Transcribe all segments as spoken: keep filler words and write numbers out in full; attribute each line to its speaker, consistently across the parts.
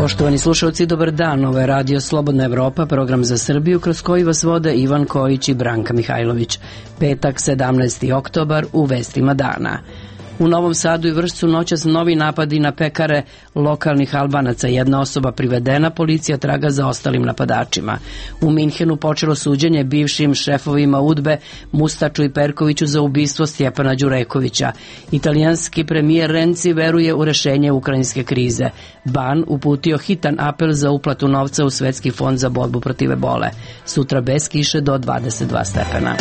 Speaker 1: Poštovani slušalci, dobar dan. Ovo je Radio Slobodna Evropa, program za Srbiju kroz koji vas vode Ivan Kojić i Branka Mihajlović. Petak, sedamnaesti oktobar, u vestima dana. U Novom Sadu i Vršcu noćas novi napadi na pekare lokalnih Albanaca. Jedna osoba privedena, policija traga za ostalim napadačima. U Minhenu počelo suđenje bivšim šefovima UDBE Mustaču i Perkoviću za ubistvo Stjepana Đurekovića. Italijanski premijer Renzi veruje u rešenje ukrajinske krize. Ban uputio hitan apel za uplatu novca u Svetski fond za borbu protiv ebole. Sutra bez kiše do dvadeset dva stepena.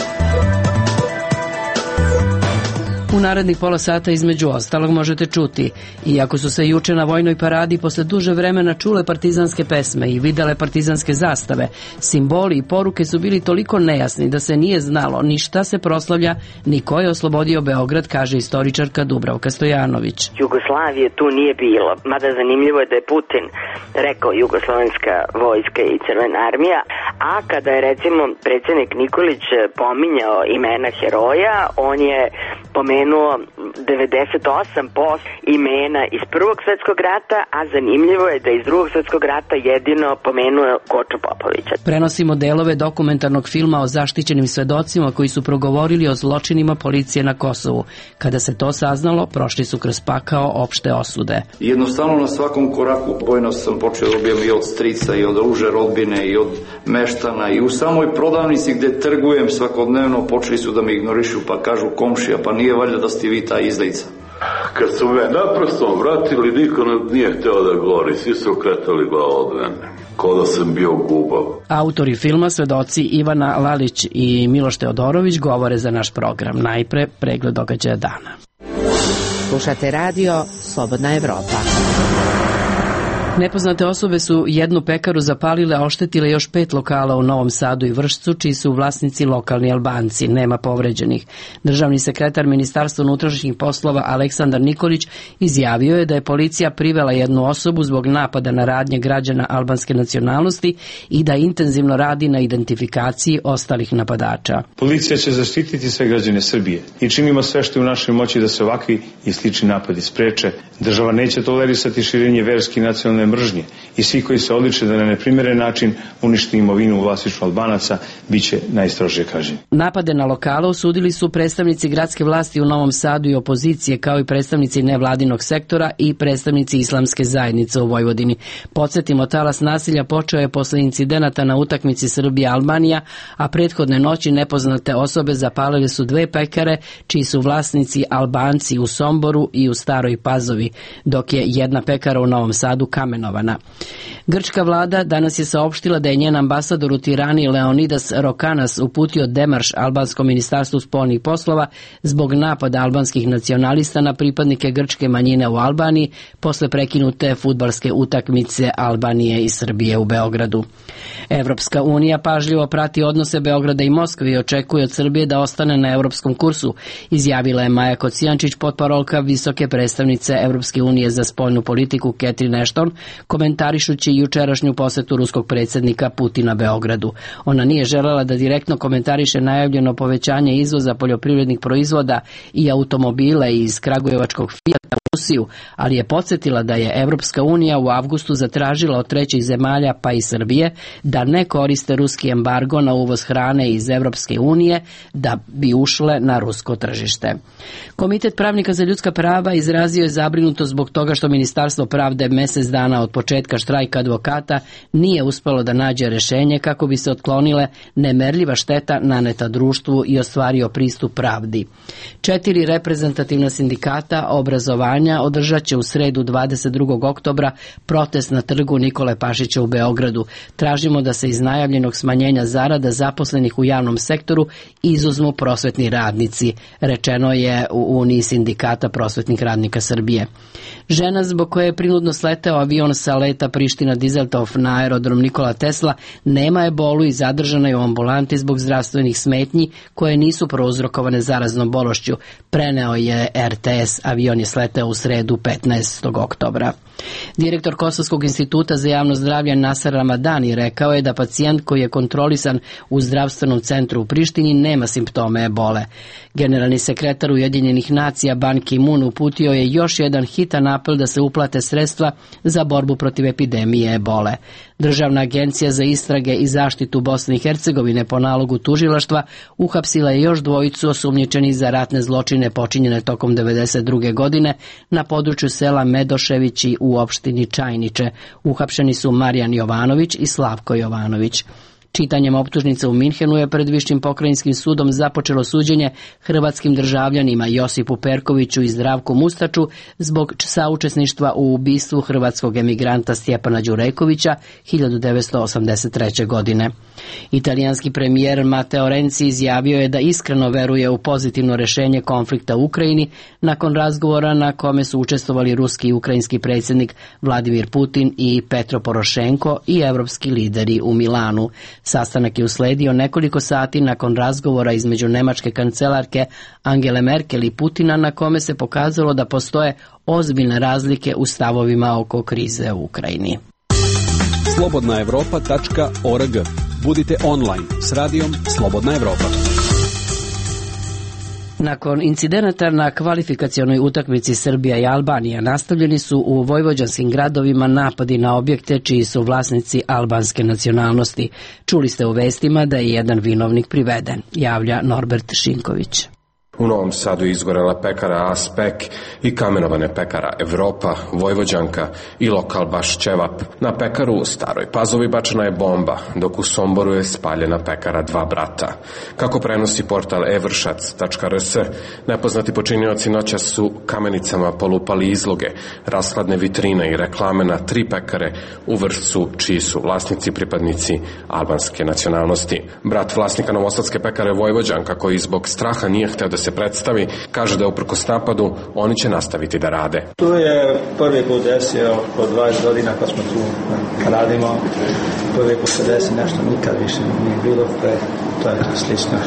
Speaker 1: U narednih pola sata između ostalog možete čuti, iako su se juče na vojnoj paradi posle duže vremena čule partizanske pesme i videle partizanske zastave, simboli i poruke su bili toliko nejasni da se nije znalo ni šta se proslavlja, ni ko je oslobodio Beograd, kaže istoričarka Dubravka Stojanović.
Speaker 2: Jugoslavije tu nije bilo, mada zanimljivo je da je Putin rekao jugoslovenska vojska i Crvena armija, a kada je recimo predsjednik Nikolić pominjao imena heroja, on je pomenuo devedeset osam posto imena iz Prvog svjetskog rata, a zanimljivo je da iz Drugog svjetskog rata jedino pomenuo Koču Popovića.
Speaker 1: Prenosimo delove dokumentarnog filma o zaštićenim svedocima koji su progovorili o zločinima policije na Kosovu. Kada se to saznalo, prošli su kroz pakao opšte osude.
Speaker 3: Jednostavno na svakom koraku bojno sam počeo dobijem i od strica i od ruže rodbine i od meštana i u samoj prodavnici gde trgujem svakodnevno počeli su da me ignorišu pa kažu komšija, pa nije valjda da ste vi ta izdajica.
Speaker 4: Kad su me naprosto vratili, niko nije hteo da govori, svi su okretali glavu od mene, kao da sam bio gubav.
Speaker 1: Autori filma, svedoci Ivana Lalić i Miloš Teodorović govore za naš program. Najpre pregled događaja dana.
Speaker 5: Slušate radio Slobodna Evropa.
Speaker 1: Nepoznate osobe su jednu pekaru zapalile, a oštetile još pet lokala u Novom Sadu i Vršcu, čiji su vlasnici lokalni Albanci. Nema povređenih. Državni sekretar Ministarstva unutrašnjih poslova Aleksandar Nikolić izjavio je da je policija privela jednu osobu zbog napada na radnje građana albanske nacionalnosti i da intenzivno radi na identifikaciji ostalih napadača.
Speaker 6: Policija će zaštititi sve građane Srbije i činimo sve što je u našoj moći da se ovakvi i slični napadi spreče. Država neće tolerisati širenje verske i nacionalne mržnje i svi koji se odliče da na neprimeren način uništi imovinu u vlasništvu Albanaca biće najstrožije kažnjeni.
Speaker 1: Napade na lokale osudili su predstavnici gradske vlasti u Novom Sadu i opozicije, kao i predstavnici nevladinog sektora i predstavnici islamske zajednice u Vojvodini. Podsjetimo, talas nasilja počeo je posle incidenata na utakmici Srbija-Albanija, a prethodne noći nepoznate osobe zapalile su dve pekare, čiji su vlasnici Albanci u Somboru i u Staroj Pazovi, dok je jedna pekara u Novom Sadu kamenovana. Grčka vlada danas je saopštila da je njen ambasador u Tirani Leonidas Rokanas uputio demarš albanskom ministarstvu spoljnih poslova zbog napada albanskih nacionalista na pripadnike grčke manjine u Albaniji posle prekinute fudbalske utakmice Albanije i Srbije u Beogradu. Evropska unija pažljivo prati odnose Beograda i Moskve i očekuje od Srbije da ostane na evropskom kursu, izjavila je Maja Kocijančić, potparolka visoke predstavnice Evropske unije za spoljnu politiku Catherine Ashton, komentarišući jučerašnju posetu ruskog predsjednika Putina Beogradu. Ona nije želela da direktno komentariše najavljeno povećanje izvoza poljoprivrednih proizvoda i automobile iz kragujevačkog Fijata u Rusiju, ali je podsjetila da je Evropska unija u avgustu zatražila od trećih zemalja, pa i Srbije, da ne koriste ruski embargo na uvoz hrane iz Evropske unije da bi ušle na rusko tržište. Komitet pravnika za ljudska prava izrazio je zabrinutost zbog toga što Ministarstvo pravde mesec dana od početka štrajka advokata nije uspelo da nađe rešenje kako bi se otklonile nemerljiva šteta naneta društvu i ostvario pristup pravdi. Četiri reprezentativna sindikata obrazovanja održat će u sredu dvadeset drugog oktobra protest na trgu Nikole Pašića u Beogradu. Tražimo da se iz najavljenog smanjenja zarada zaposlenih u javnom sektoru izuzmu prosvetni radnici, rečeno je u Uniji sindikata prosvetnih radnika Srbije. Žena zbog koje je prinudno sleteo avion sa leta Priština-Dizeltov na aerodrom Nikola Tesla nema ebolu i zadržana je u ambulanti zbog zdravstvenih smetnji koje nisu prouzrokovane zaraznom bolešću, preneo je er te es. Avion je sleteo u sredu petnaestog oktobra. Direktor Kosovskog instituta za javno zdravlje Nasar Ramadani rekao je da pacijent koji je kontrolisan u zdravstvenom centru u Prištini nema simptome ebole. Generalni sekretar Ujedinjenih nacija Ban Ki-moon uputio je još jedan hitan apel da se uplate sredstva za borbu protiv epidemije ebole. Državna agencija za istrage i zaštitu Bosne i Hercegovine po nalogu tužilaštva uhapsila je još dvojicu osumnjičenih za ratne zločine počinjene tokom devedeset druge godine na području sela Medoševići u opštini Čajniče. Uhapšeni su Marijan Jovanović i Slavko Jovanović. Čitanjem optužnica u Minhenu je pred Višim pokrajinskim sudom započelo suđenje hrvatskim državljanima Josipu Perkoviću i Zdravku Mustaču zbog saučesništva u ubistvu hrvatskog emigranta Stjepana Đurekovića hiljadu devetsto osamdeset treće. godine. Italijanski premijer Matteo Renzi izjavio je da iskreno veruje u pozitivno rešenje konflikta u Ukrajini nakon razgovora na kome su učestvovali ruski i ukrajinski predsjednik Vladimir Putin i Petro Porošenko i evropski lideri u Milanu. Sastanak je usledio nekoliko sati nakon razgovora između nemačke kancelarke Angele Merkel i Putina na kome se pokazalo da postoje ozbiljne razlike u stavovima oko krize u Ukrajini.
Speaker 7: slobodna evropa tačka org. Budite online s radijom Slobodna Evropa.
Speaker 1: Nakon incidenata na kvalifikacionoj utakmici Srbija i Albanija nastavljeni su u vojvođanskim gradovima napadi na objekte čiji su vlasnici albanske nacionalnosti. Čuli ste u vestima da je jedan vinovnik priveden, javlja Norbert Šinković.
Speaker 8: U Novom Sadu je izgorela pekara Aspek i kamenovane pekara Evropa, Vojvođanka i lokal Baš Ćevap. Na pekaru u Staroj Pazovi bačena je bomba, dok u Somboru je spaljena pekara Dva brata. Kako prenosi portal evršac tačka r s, nepoznati počinioci noćas su kamenicama polupali izloge, rashladne vitrine i reklame na tri pekare u Vršcu, čiji su vlasnici pripadnici albanske nacionalnosti. Brat vlasnika novosadske pekare Vojvođanka, koji zbog straha nije hteo da se predstavi, kaže da uprkos napadu oni će nastaviti da rade.
Speaker 9: To je prvi put desio od dvadeset godina kad smo tu radimo. Prvi put se desi nešto, nikad više nije bilo pre, to je slično.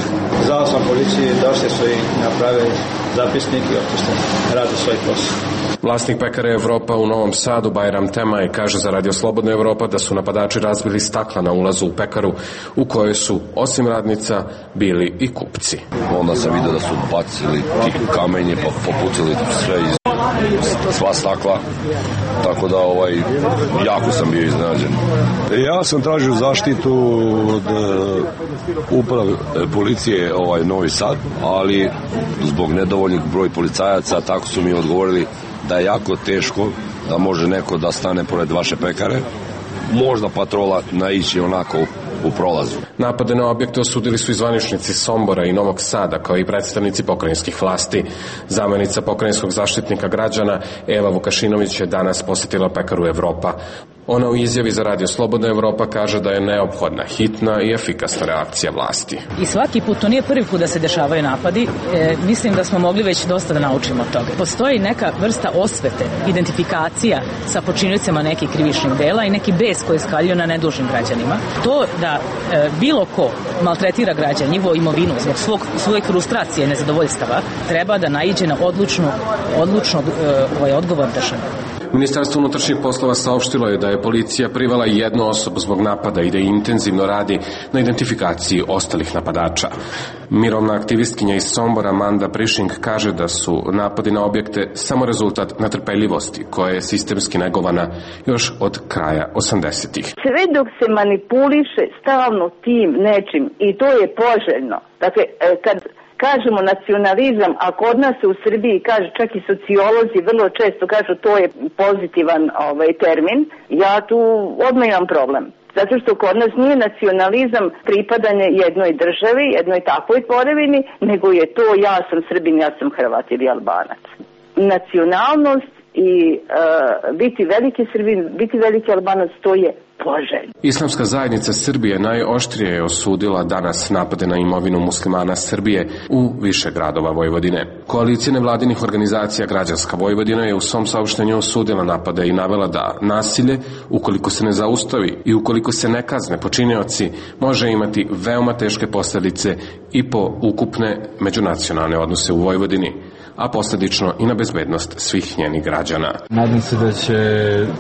Speaker 9: Zvao sam policiji, došli su i napravili zapisnik i opušte rade svoj posao.
Speaker 8: Vlasnik pekare Evropa u Novom Sadu, Bajram Temaj, kaže za Radio Slobodna Evropa da su napadači razbili stakla na ulazu u pekaru u kojoj su, osim radnica, bili i kupci.
Speaker 10: Onda sam vidio da su bacili kamenje, pa popucili sve iz sva stakla, tako da ovaj, jako sam bio iznenađen.
Speaker 11: Ja sam tražio zaštitu od uprave policije ovaj Novi Sad, ali zbog nedovoljnih broj policajaca tako su mi odgovorili da je jako teško da može neko da stane pored vaše pekare, možda patrola naići onako u prolazu.
Speaker 8: Napade na objekte osudili su i zvaničnici Sombora i Novog Sada, kao i predstavnici pokrajinskih vlasti. Zamenica pokrajinskog zaštitnika građana Eva Vukašinović je danas posjetila pekaru Evropa. Ona u izjavi za Radio Slobodna Evropa kaže da je neophodna, hitna i efikasna reakcija vlasti.
Speaker 12: I svaki put, to nije prvi put da se dešavaju napadi, e, mislim da smo mogli već dosta da naučimo od toga. Postoji neka vrsta osvete, identifikacija sa počiniocima nekih krivičnih dela i neki bes koji skaljuje na nedužnim građanima. To da e, bilo ko maltretira građan, njihovu imovinu zbog svog, svoje frustracije i nezadovoljstava, treba da naiđe na odlučnu, odlučno e, ovaj odgovor države.
Speaker 8: Ministarstvo unutrašnjih poslova saopštilo je da je policija privela jednu osobu zbog napada i da intenzivno radi na identifikaciji ostalih napadača. Mirovna aktivistkinja iz Sombora Manda Prišing kaže da su napadi na objekte samo rezultat netrpeljivosti koja je sistemski negovana još od kraja osamdesetih.
Speaker 13: Sve dok se manipuliše stalno tim nečim i to je poželjno. Dakle, kad kažemo nacionalizam, a kod nas u Srbiji kaže, čak i sociolozi vrlo često kažu to je pozitivan ovaj, termin, ja tu odmah imam problem. Zato što kod nas nije nacionalizam pripadanje jednoj državi, jednoj takvoj tvorevini, nego je to ja sam Srbin, ja sam Hrvat ili Albanac. Nacionalnost i uh, biti veliki Srbin, biti veliki Albanac, to je poželjno.
Speaker 8: Islamska zajednica Srbije najoštrije je osudila danas napade na imovinu muslimana Srbije u više gradova Vojvodine. Koalicija nevladinih organizacija Građanska Vojvodina je u svom saopštenju osudila napade i navela da nasilje, ukoliko se ne zaustavi i ukoliko se ne kazne počinioci, može imati veoma teške posljedice i po ukupne međunacionalne odnose u Vojvodini. a posljedično i na bezbednost svih njenih građana.
Speaker 14: Nadam se da će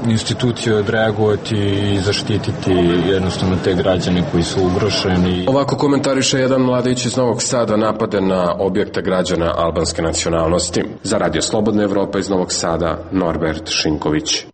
Speaker 14: institucije odreagovati i zaštititi jednostavno te građane koji su ugrošeni.
Speaker 8: Ovako komentariše jedan mladić iz Novog Sada napade na objekte građana albanske nacionalnosti. Za Radio Slobodna Evropa iz Novog Sada, Norbert Šinković.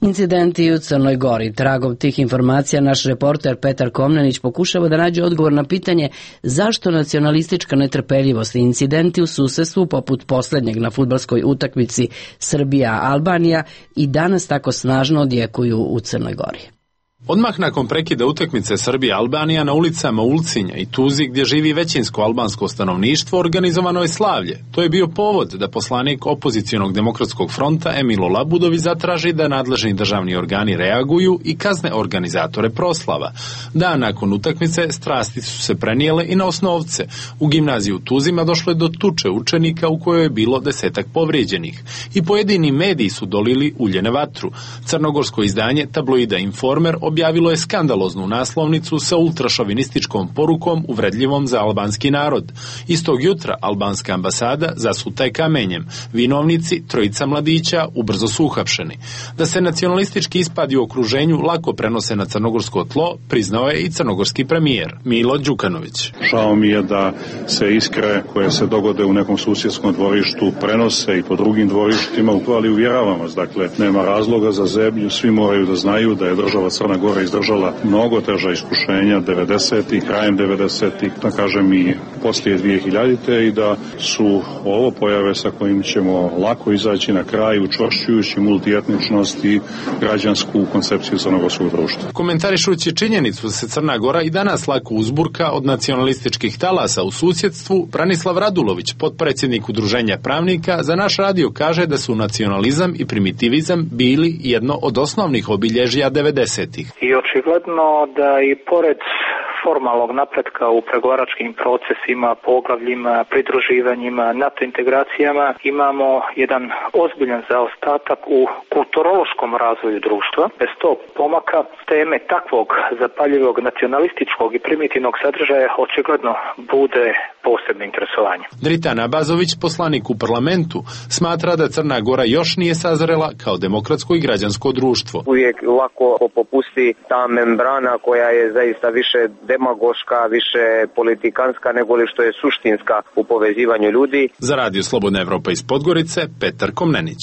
Speaker 1: Incidenti u Crnoj Gori. Tragom tih informacija naš reporter Petar Komnenić pokušava da nađe odgovor na pitanje zašto nacionalistička netrpeljivost i incidenti u susedstvu poput posljednjeg na fudbalskoj utakmici Srbija-Albanija i danas tako snažno odjekuju u Crnoj Gori.
Speaker 15: Odmah nakon prekida utakmice Srbija-Albanija na ulicama Ulcinja i Tuzi, gdje živi većinsko albansko stanovništvo, organizovano je slavlje. To je bio povod da poslanik opozicionog demokratskog fronta Emilo Labudović zatraži da nadležni državni organi reaguju i kazne organizatore proslava. Dan nakon utakmice strasti su se prenijele i na Osnovce. U gimnaziji u Tuzima došlo je do tuče učenika u kojoj je bilo desetak povrijeđenih. I pojedini mediji su dolili ulje na vatru. Crnogorsko izdanje tabloida Informer objavilo je skandaloznu naslovnicu sa ultrašovinističkom porukom uvredljivom za albanski narod. Istog jutra albanska ambasada zasuta je kamenjem. Vinovnici, trojica mladića, ubrzo su uhapšeni. Da se nacionalistički ispadi u okruženju lako prenose na crnogorsko tlo, priznao je i crnogorski premijer Milo Đukanović.
Speaker 16: Žao mi je da se iskre koje se dogode u nekom susjedskom dvorištu prenose i po drugim dvorištima, ali uvjeravam vas, dakle, nema razloga za zebnju, svi moraju da znaju da je država Crna Gora izdržala mnogo teža iskušenja devedesetih, krajem devedesetih, da kažem i poslije dvije hiljadite i da su ovo pojave sa kojim ćemo lako izaći na kraj učvršćujući multietničnost i građansku koncepciju crnogorskog društva.
Speaker 15: Komentarišući činjenicu da se Crna Gora i danas lako uzburka od nacionalističkih talasa u susjedstvu, Branislav Radulović, potpredsjednik Udruženja pravnika, za naš radio kaže da su nacionalizam i primitivizam bili jedno od osnovnih obilježja devedesetih.
Speaker 17: I očigledno da i pored formalnog napretka u pregovaračkim procesima, poglavljima, pridruživanjima, NATO integracijama imamo jedan ozbiljan zaostatak u kulturološkom razvoju društva. Bez tog pomaka teme takvog zapaljivog nacionalističkog i primitivnog sadržaja očigledno bude posebno interesovanje.
Speaker 15: Dritan Abazović, poslanik u parlamentu, smatra da Crna Gora još nije sazrela kao demokratsko i građansko društvo.
Speaker 18: Uvijek lako popusti ta membrana koja je zaista više demagoška, više politikanska nego li što je suštinska u povezivanju ljudi.
Speaker 15: Za Radio Slobodna Evropa iz Podgorice, Petar Komnenić.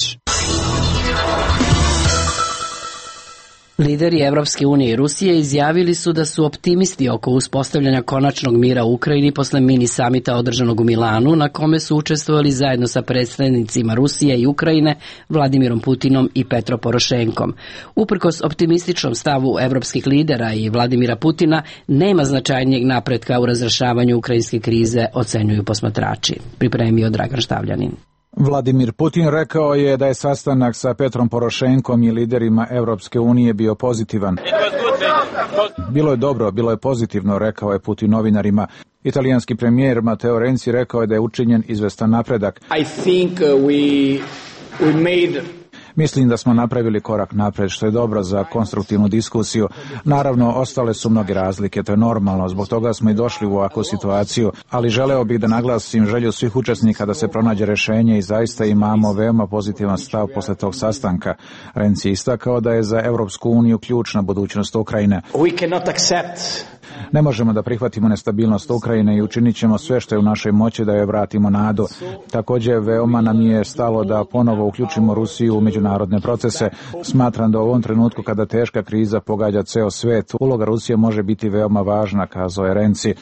Speaker 1: Lideri Evropske unije i Rusije izjavili su da su optimisti oko uspostavljanja konačnog mira u Ukrajini posle mini samita održanog u Milanu, na kome su učestvovali zajedno sa predstavnicima Rusije i Ukrajine, Vladimirom Putinom i Petro Porošenkom. Uprkos optimističnom stavu evropskih lidera i Vladimira Putina, nema značajnijeg napretka u razrešavanju ukrajinske krize, ocenjuju posmatrači. Pripremio Dragan Štavljanin.
Speaker 19: Vladimir Putin rekao je da je sastanak sa Petrom Porošenkom i liderima Evropske unije bio pozitivan. Bilo je dobro, bilo je pozitivno, rekao je Putin novinarima. Italijanski premijer Matteo Renzi rekao je da je učinjen izvestan napredak.
Speaker 20: I think we we made
Speaker 19: Mislim da smo napravili korak napred, što je dobro za konstruktivnu diskusiju. Naravno, ostale su mnoge razlike, to je normalno, zbog toga smo i došli u ovakvu situaciju, ali želeo bih da naglasim želju svih učesnika da se pronađe rješenje i zaista imamo veoma pozitivan stav posle tog sastanka. Renzi istakao da je za Evropsku uniju ključna budućnost Ukrajine.
Speaker 20: We cannot accept
Speaker 19: Ne možemo da prihvatimo nestabilnost Ukrajine i učinit ćemo sve što je u našoj moći da joj vratimo nadu. Također, veoma nam je stalo da ponovo uključimo Rusiju u međunarodne procese. Smatram da u ovom trenutku kada teška kriza pogađa ceo svet, uloga Rusije može biti veoma važna, kazao je Renzi.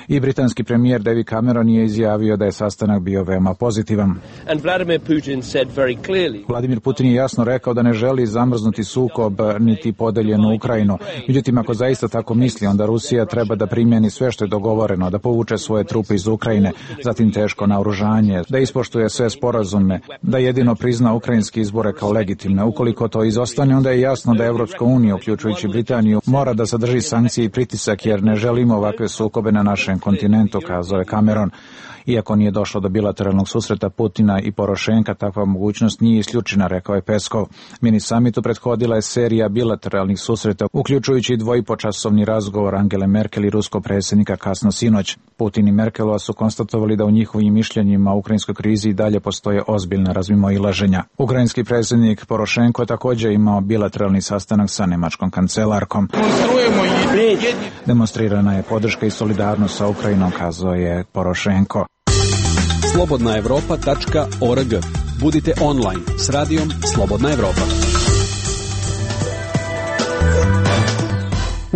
Speaker 19: I britanski premijer David Cameron je izjavio da je sastanak bio veoma pozitivan.
Speaker 21: And Vladimir Putin said very clearly.
Speaker 19: Vladimir Putin je jasno rekao da ne želi zamrznuti sukob niti podeljenu Ukrajinu. Međutim, ako zaista tako misli, onda Rusija treba da primjeni sve što je dogovoreno, da povuče svoje trupe iz Ukrajine, zatim teško naoružanje, da ispoštuje sve sporazume, da jedino prizna ukrajinske izbore kao legitimne. Ukoliko to izostane, onda je jasno da Evropska unija, uključujući Britaniju, mora da sadrži sankcije i pritisak, jer ne želimo ovakve sukobe na našem kontinentu, kazao je Cameron. Iako nije došlo do bilateralnog susreta Putina i Porošenka, takva mogućnost nije isključena, rekao je Peskov. Mini samitu prethodila je serija bilateralnih susreta, uključujući dvojipočasovni razgovor Angele Angele Merkel i ruskog predsjednika kasno sinoć. Putin i Merkelova su konstatovali da u njihovim mišljenjima o ukrajinskoj krizi i dalje postoje ozbiljna razmimoilaženja. Ukrajinski predsjednik Porošenko je također imao bilateralni sastanak sa nemačkom kancelarkom. Demonstrirana je podrška i solidarnost sa Ukrajinom, kazao je Porošenko.
Speaker 7: slobodna evropa tačka org. Budite online s radijom Slobodna Evropa.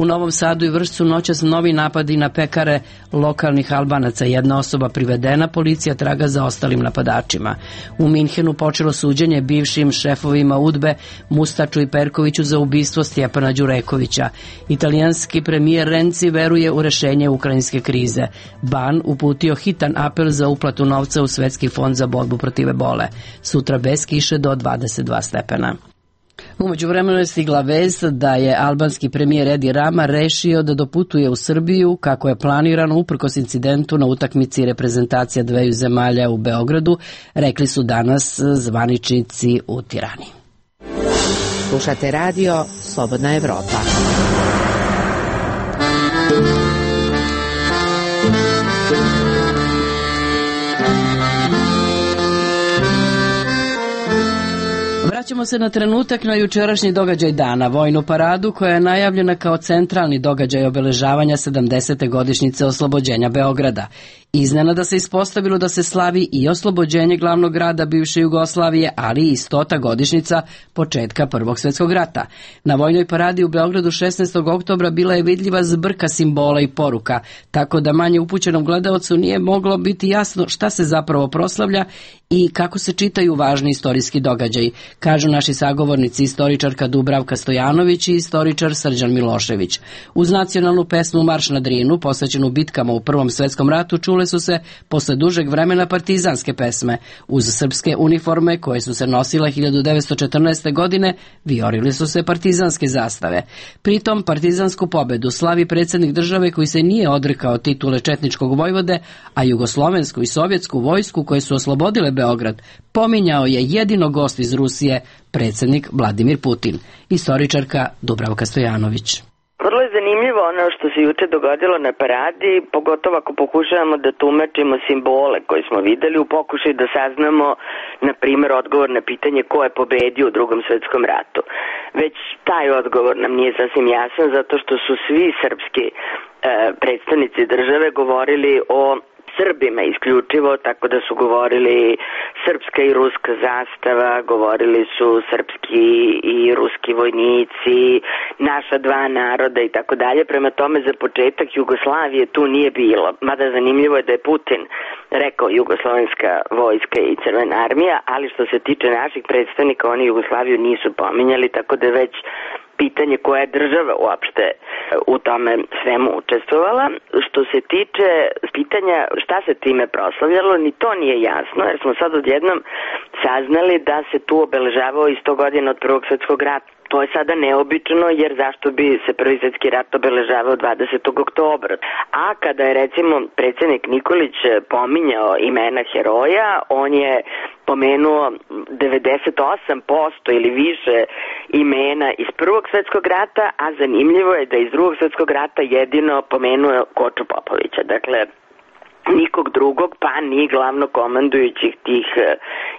Speaker 1: U Novom Sadu i Vršcu noćas novi napadi na pekare lokalnih Albanaca. Jedna osoba privedena, policija traga za ostalim napadačima. U Minhenu počelo suđenje bivšim šefovima UDBE Mustaču i Perkoviću za ubistvo Stjepana Đurekovića. Italijanski premijer Renzi veruje u rešenje ukrajinske krize. Ban uputio hitan apel za uplatu novca u Svetski fond za borbu protiv ebole. Sutra bez kiše do dvadeset dva stepena. U međuvremenu je stigla vest da je albanski premijer Edi Rama rešio da doputuje u Srbiju kako je planirano uprkos incidentu na utakmici reprezentacija dveju zemalja u Beogradu, rekli su danas zvaničnici u Tirani.
Speaker 5: Slušate radio Slobodna Evropa.
Speaker 1: Vraćamo se na trenutak na jučerašnji događaj dana, vojnu paradu koja je najavljena kao centralni događaj obeležavanja sedamdesete godišnjice oslobođenja Beograda. Iznenada se ispostavilo da se slavi i oslobođenje glavnog grada bivše Jugoslavije, ali i stota godišnjica početka Prvog svjetskog rata. Na vojnoj paradi u Beogradu šesnaestog oktobra bila je vidljiva zbrka simbola i poruka, tako da manje upućenom gledaocu nije moglo biti jasno šta se zapravo proslavlja i kako se čitaju važni istorijski događaji, kažu naši sagovornici istoričarka Dubravka Stojanović i istoričar Srđan Milošević. Uz nacionalnu pesmu Marš na Drinu, posvećenu bitkama u Prvom svjetskom ratu, čule su se posle dužeg vremena partizanske pesme. Uz srpske uniforme koje su se nosile hiljadu devetsto četrnaeste. godine, vijorili su se partizanske zastave. Pritom partizansku pobedu slavi predsjednik države koji se nije odrekao titule četničkog vojvode, a jugoslovensku i sovjetsku vojsku koje su oslobodile Beograd pominjao je jedino gost iz Rusije, predsjednik Vladimir Putin. Istoričarka Dubravka Stojanović.
Speaker 2: Vrlo je zanimljivo ono što se juče dogodilo na paradi, pogotovo ako pokušavamo da tumačimo simbole koje smo videli u pokušaju da saznamo, na primjer, odgovor na pitanje ko je pobedio u Drugom svjetskom ratu. Već taj odgovor nam nije sasvim jasan, zato što su svi srpski e, predstavnici države govorili o Srbima isključivo, tako da su govorili srpska i ruska zastava, govorili su srpski i ruski vojnici, naša dva naroda i tako dalje. Prema tome, za početak Jugoslavije tu nije bilo. Mada zanimljivo je da je Putin rekao jugoslovenska vojska i Crvena armija, ali što se tiče naših predstavnika, oni Jugoslaviju nisu pominjali, tako da već pitanje koja je država uopšte u tome svemu učestvovala. Što se tiče pitanja šta se time proslavljalo, ni to nije jasno, jer smo sad odjednom saznali da se tu obeležavao i sto godina od Prvog svjetskog rata. To je sada neobično, jer zašto bi se Prvi svjetski rat obeležavao dvadesetog oktobra. A kada je recimo predsjednik Nikolić pominjao imena heroja, on je pomenuo devedeset osam posto ili više imena iz Prvog svjetskog rata, a zanimljivo je da iz Drugog svjetskog rata jedino pomenuo Koču Popovića. Dakle, nikog drugog, pa ni glavnokomandujućih tih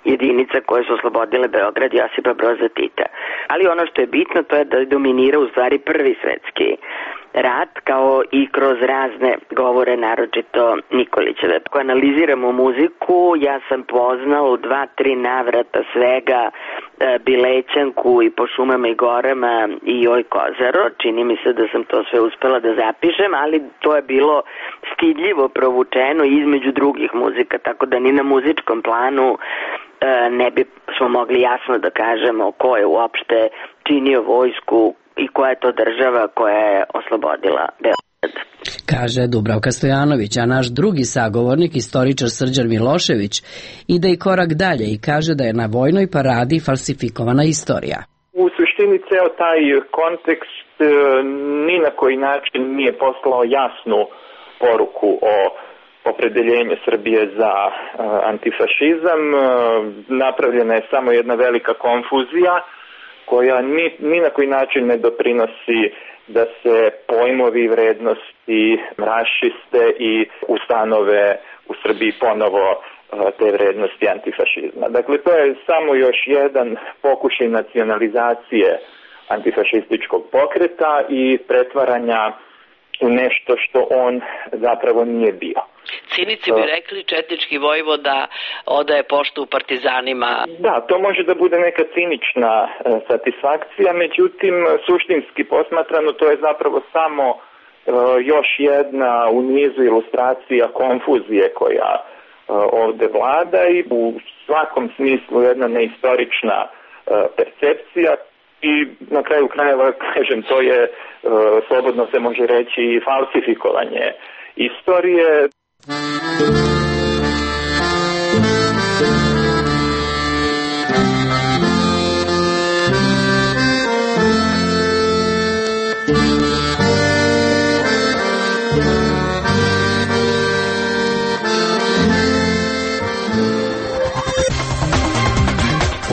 Speaker 2: jedinica koje su oslobodile Beograd Josipa Broza Tita. Ali ono što je bitno, to je da dominira u stvari Prvi svjetski rat, kao i kroz razne govore, naročito Nikolićeve. Ako analiziramo muziku, ja sam poznao u dva, tri navrata svega e, Bilećanku i Po šumama i gorama i Joj Kozaro. Čini mi se da sam to sve uspela da zapišem, ali to je bilo stidljivo provučeno između drugih muzika, tako da ni na muzičkom planu e, ne bi smo mogli jasno da kažemo ko je uopšte činio vojsku i koja je to država koja je oslobodila Beograd.
Speaker 1: Kaže Dubravka Stojanović, a naš drugi sagovornik, istoričar Srđan Milošević, ide i korak dalje i kaže da je na vojnoj paradi falsifikovana istorija.
Speaker 22: U suštini ceo taj kontekst ni na koji način nije poslao jasnu poruku o opredeljenju Srbije za uh, antifašizam. Uh, napravljena je samo jedna velika konfuzija koja ni, ni na koji način ne doprinosi da se pojmovi i vrednosti raščiste i ustanove u Srbiji ponovo te vrednosti antifašizma. Dakle, to je samo još jedan pokušaj nacionalizacije antifašističkog pokreta i pretvaranja u nešto što on zapravo nije bio.
Speaker 1: Cinici bi rekli četnički vojvoda odaje poštu partizanima.
Speaker 22: Da, to može da bude neka cinična e, satisfakcija, međutim, suštinski posmatrano to je zapravo samo e, još jedna u nizu ilustracija konfuzije koja e, ovde vlada i u svakom smislu jedna neistorična e, percepcija i na kraju krajeva, kažem, to je, e, slobodno se može reći, falsifikovanje istorije.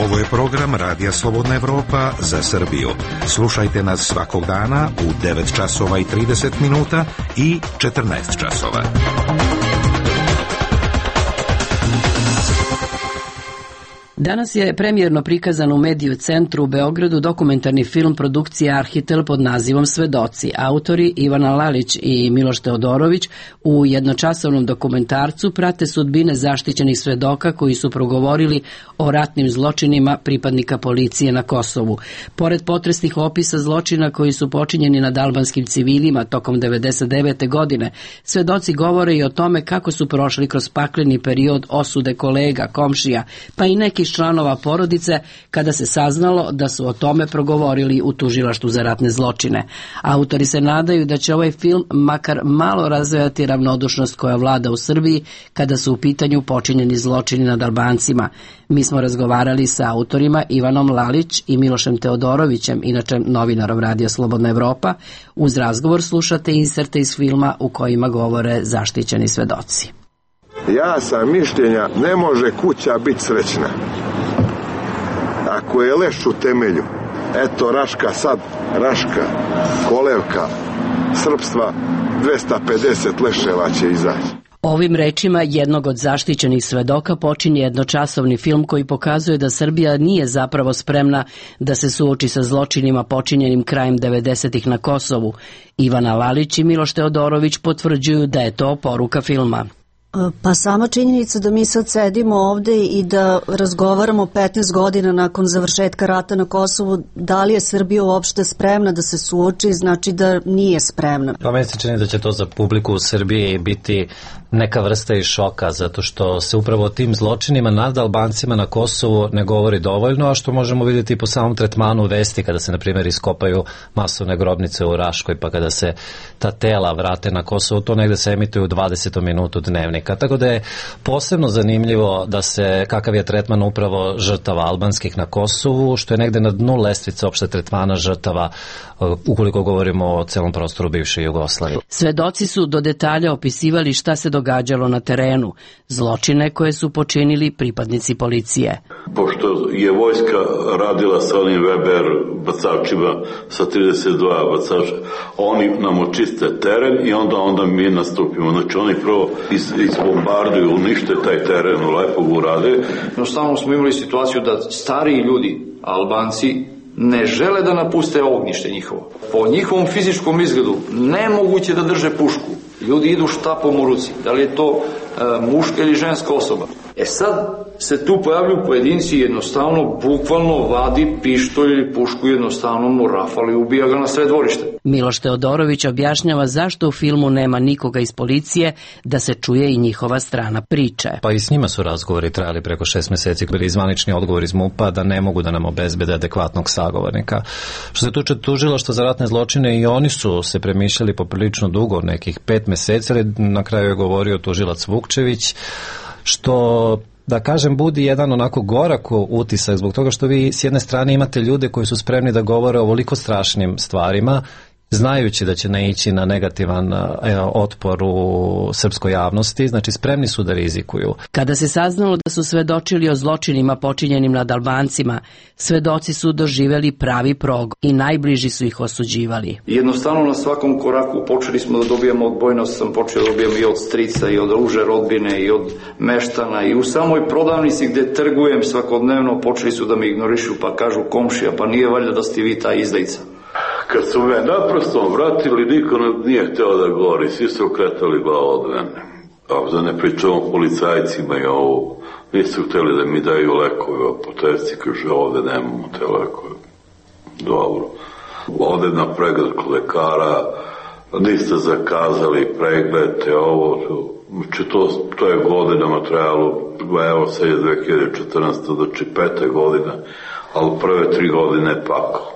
Speaker 3: Ovo je program Radija Slobodna Evropa za Srbiju. Slušajte nas svakog dana u devet časova i trideset minuta i četrnaest časova.
Speaker 1: Danas je premijerno prikazan u Mediju centru u Beogradu dokumentarni film produkcije Arhitel pod nazivom Svedoci. Autori Ivana Lalić i Miloš Teodorović u jednočasovnom dokumentarcu prate sudbine zaštićenih svedoka koji su progovorili o ratnim zločinima pripadnika policije na Kosovu. Pored potresnih opisa zločina koji su počinjeni nad albanskim civilima tokom devedeset devete godine, svedoci govore i o tome kako su prošli kroz pakleni period osude kolega, komšija, pa i neki članova porodice kada se saznalo da su o tome progovorili u tužilaštvu za ratne zločine. Autori se nadaju da će ovaj film makar malo razvejati ravnodušnost koja vlada u Srbiji kada su u pitanju počinjeni zločini nad Albancima. Mi smo razgovarali sa autorima Ivanom Lalić i Milošem Teodorovićem, inače novinarom Radija Slobodna Evropa. Uz razgovor slušate inserte iz filma u kojima govore zaštićeni svedoci.
Speaker 4: Ja sam mišljenja, ne može kuća biti srećna ako je leš u temelju. Eto, Raška sad, Raška, Kolevka, Srpstva, dvesta pedeset leševa će izaći.
Speaker 1: Ovim rečima jednog od zaštićenih svedoka počinje jednočasovni film koji pokazuje da Srbija nije zapravo spremna da se suoči sa zločinima počinjenim krajem devedesetih na Kosovu. Ivana Lalić i Miloš Teodorović potvrđuju da je to poruka filma.
Speaker 23: Pa sama činjenica da mi sad sedimo ovde i da razgovaramo petnaest godina nakon završetka rata na Kosovu, da li je Srbija uopšte spremna da se suoči, znači da nije spremna.
Speaker 24: Pa meni se čini da će to za publiku u Srbiji biti neka vrsta i šoka, zato što se upravo o tim zločinima nad Albancima na Kosovu ne govori dovoljno, a što možemo vidjeti po samom tretmanu vesti kada se, na primjer, iskopaju masovne grobnice u Raškoj, pa kada se ta tela vrate na Kosovo, to negde se emituje u dvadesetom minutu dnevnika. Tako da je posebno zanimljivo da se, kakav je tretman upravo žrtava albanskih na Kosovu, što je negde na dnu lestvice opšte tretmana žrtava ukoliko govorimo o celom prostoru bivše Jugoslavije.
Speaker 1: Svedoci su do detalja opisivali šta se događalo na terenu, zločine koje su počinili pripadnici policije.
Speaker 25: Pošto je vojska radila sa onim Weber bacačima sa trideset dva bacača, oni nam očiste teren i onda onda mi nastupimo. Znači oni prvo iz, izbombarduju, unište taj teren, lepo ga urade.
Speaker 26: Jednostavno smo imali situaciju da stariji ljudi, Albanci, ne žele da napuste ognjište njihovo. Po njihovom fizičkom izgledu nemoguće da drže pušku. Ljudi idu štapom u ruci. Da li je to e, muška ili ženska osoba? E sad se tu pojavljuju pojedinci, jednostavno, bukvalno vadi pištolj ili pušku, jednostavno mu rafali i ubija ga na sred dvorište.
Speaker 1: Miloš Teodorović objašnjava zašto u filmu nema nikoga iz policije, da se čuje i njihova strana priče.
Speaker 24: Pa i s njima su razgovori trajali preko šest meseci, bili izvanični odgovor iz MUP-a da ne mogu da nam obezbede adekvatnog sagovornika. Što se tuče tužilaštva za ratne zločine, i oni su se premišljali poprilično dugo, nekih pet meseci, ali na kraju je govorio tužilac Vukčević, što, da kažem, budi jedan onako gorak utisak zbog toga što vi s jedne strane imate ljude koji su spremni da govore o ovoliko strašnim stvarima znajući da će naići na negativan e, otpor u srpskoj javnosti, znači spremni su da rizikuju.
Speaker 1: Kada se saznalo da su svedočili o zločinima počinjenim nad Albancima, svedoci su doživeli pravi prog i najbliži su ih osuđivali.
Speaker 26: Jednostavno na svakom koraku počeli smo da dobijamo odbojnost, sam počeo da dobijam i od strica i od uže rodbine i od meštana i u samoj prodavnici gde trgujem svakodnevno počeli su da me ignorišu pa kažu komšija pa nije valjda da ste vi ta izdajica.
Speaker 25: Kad su me naprosto vratili, niko nije hteo da govori, svi su okretali glavu od mene. A da ne pričamo policajcima i ovo, nisu hteli da mi daju lekove, apoteci, kaže ovde nemamo te lekove. Dobro. Ovde na pregled kod lekara, niste zakazali pregled, te ovo, znači to, to je godinama trajalo, evo sad je dve hiljade četrnaeste. znači pete godine, ali prve tri godine pako.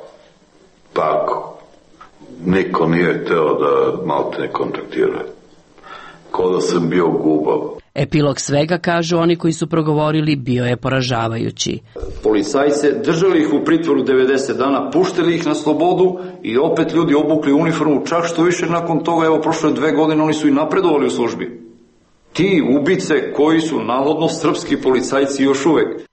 Speaker 25: Pako. Niko nije hteo da malte ne kontaktira. Ko da sam bio gubav.
Speaker 1: Epilog svega, kažu oni koji su progovorili, bio je poražavajući.
Speaker 26: Policajce držali ih u pritvoru devedeset dana, puštili ih na slobodu i opet ljudi obukli uniformu, čak što više nakon toga, evo prošle dve godine, oni su i napredovali u službi. Ti ubice koji su navodno srpski policajci još uvek.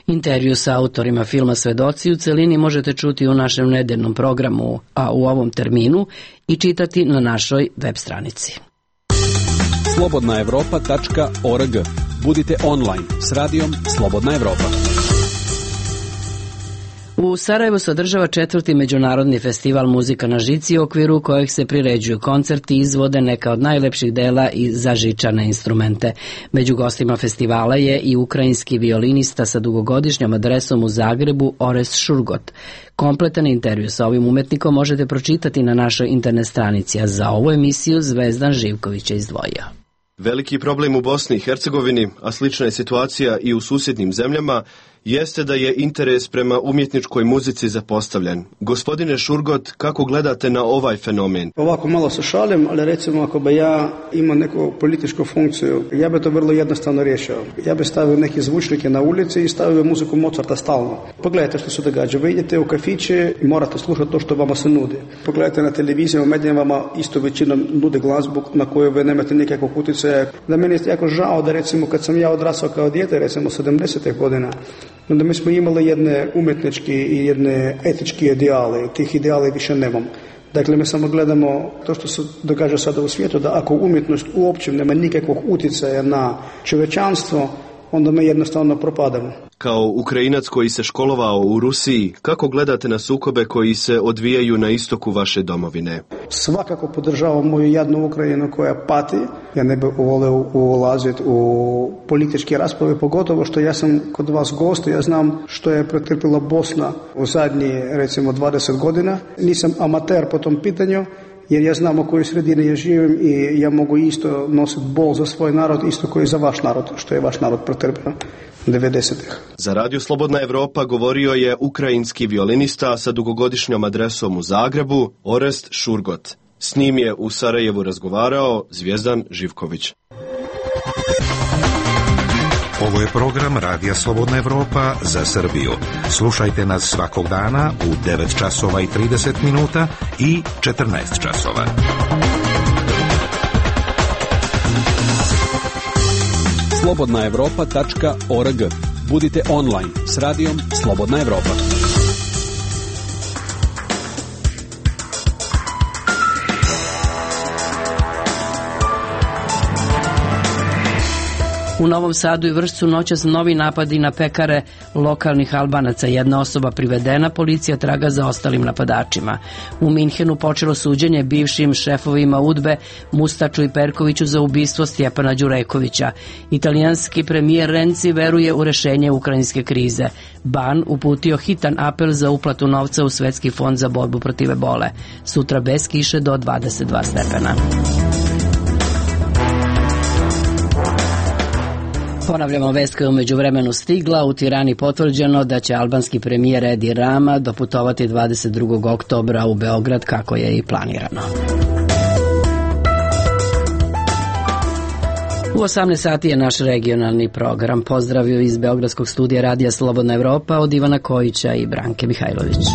Speaker 1: Intervju sa autorima filma Svedoci u celini možete čuti u našem nedeljnom programu, a u ovom terminu i čitati na našoj web stranici.
Speaker 7: slobodna evropa tačka org. Budite online s radijom Slobodna Evropa.
Speaker 1: U Sarajevu se održava četvrti međunarodni festival Muzika na žici, u okviru kojeg se priređuju koncerti i izvode neka od najlepših dela i za žičane instrumente. Među gostima festivala je i ukrajinski violinista sa dugogodišnjom adresom u Zagrebu, Orest Šurgot. Kompletan intervju sa ovim umetnikom možete pročitati na našoj internet stranici, a za ovu emisiju Zvezdan Živković je izdvojio.
Speaker 6: Veliki problem u Bosni i Hercegovini, a slična je situacija i u susjednim zemljama, jeste da je interes prema umjetničkoj muzici zapostavljen. Gospodine Šurgot, kako gledate na ovaj fenomen?
Speaker 9: Ovako malo se šalim, ali recimo ako bi ja imao neku političku funkciju, ja bi to vrlo jednostavno riješio. Ja bi stavio neke zvučnike na ulici i stavio muziku Mozarta stalno. Pogledajte što se događa. Vi idete u kafiće i morate slušati to što vama se nudi. Pogledajte na televiziji, u medijima vama isto većinom nude glazbu na koju vi nemate nikakvog utjecaja. Da meni je jako žao da recimo kad sam ja odrasao kao dijete, recimo sedamdesetih godina, onda mi smo imali jedne umjetnički i jedne etički ideale. Tih ideale više nemam. Dakle, mi samo gledamo to što se događa sada u svijetu, da ako umjetnost uopće nema nikakvog utjecaja na čovječanstvo, onda mi jednostavno propadamo.
Speaker 6: Kao Ukrajinac koji se školovao u Rusiji, kako gledate na sukobe koji se odvijaju na istoku vaše domovine?
Speaker 9: Svakako podržavam moju jadnu Ukrajinu koja pati. Ja ne bih volio ulaziti u političke rasprave, pogotovo što ja sam kod vas gost, ja znam što je pretrpila Bosna u zadnji recimo dvadeset godina. Nisam amater po tom pitanju, jer ja znam u kojoj sredini ja živim i ja mogu isto nositi bol za svoj narod, isto koji za vaš narod, što je vaš narod pretrpio devedesetih.
Speaker 6: Za Radio Slobodna Evropa govorio je ukrajinski violinista sa dugogodišnjom adresom u Zagrebu, Orest Šurgot. S njim je u Sarajevu razgovarao Zvezdan Živković.
Speaker 3: Ovo je program Radija Slobodna Evropa za Srbiju. Slušajte nas svakog dana u devet časova i trideset minuta i četrnaest časova.
Speaker 7: slobodna evropa tačka org. Budite online s radijom Slobodna Evropa.
Speaker 1: U Novom Sadu i Vršcu noćas novi napadi na pekare lokalnih Albanaca. Jedna osoba privedena, policija traga za ostalim napadačima. U Minhenu počelo suđenje bivšim šefovima UDBE Mustaču i Perkoviću za ubistvo Stjepana Đurekovića. Italijanski premijer Renzi veruje u rešenje ukrajinske krize. Ban uputio hitan apel za uplatu novca u Svetski fond za borbu protiv ebole. Sutra bez kiše do dvadeset dva stepena. Ponavljamo vest koja je umeđu vremenu stigla. U Tirani potvrđeno da će albanski premijer Edi Rama doputovati dvadeset drugog oktobra u Beograd kako je i planirano. U osamnaest sati je naš regionalni program. Pozdravio iz Beogradskog studija Radija Slobodna Evropa od Ivana Kojića i Branke Mihajlović.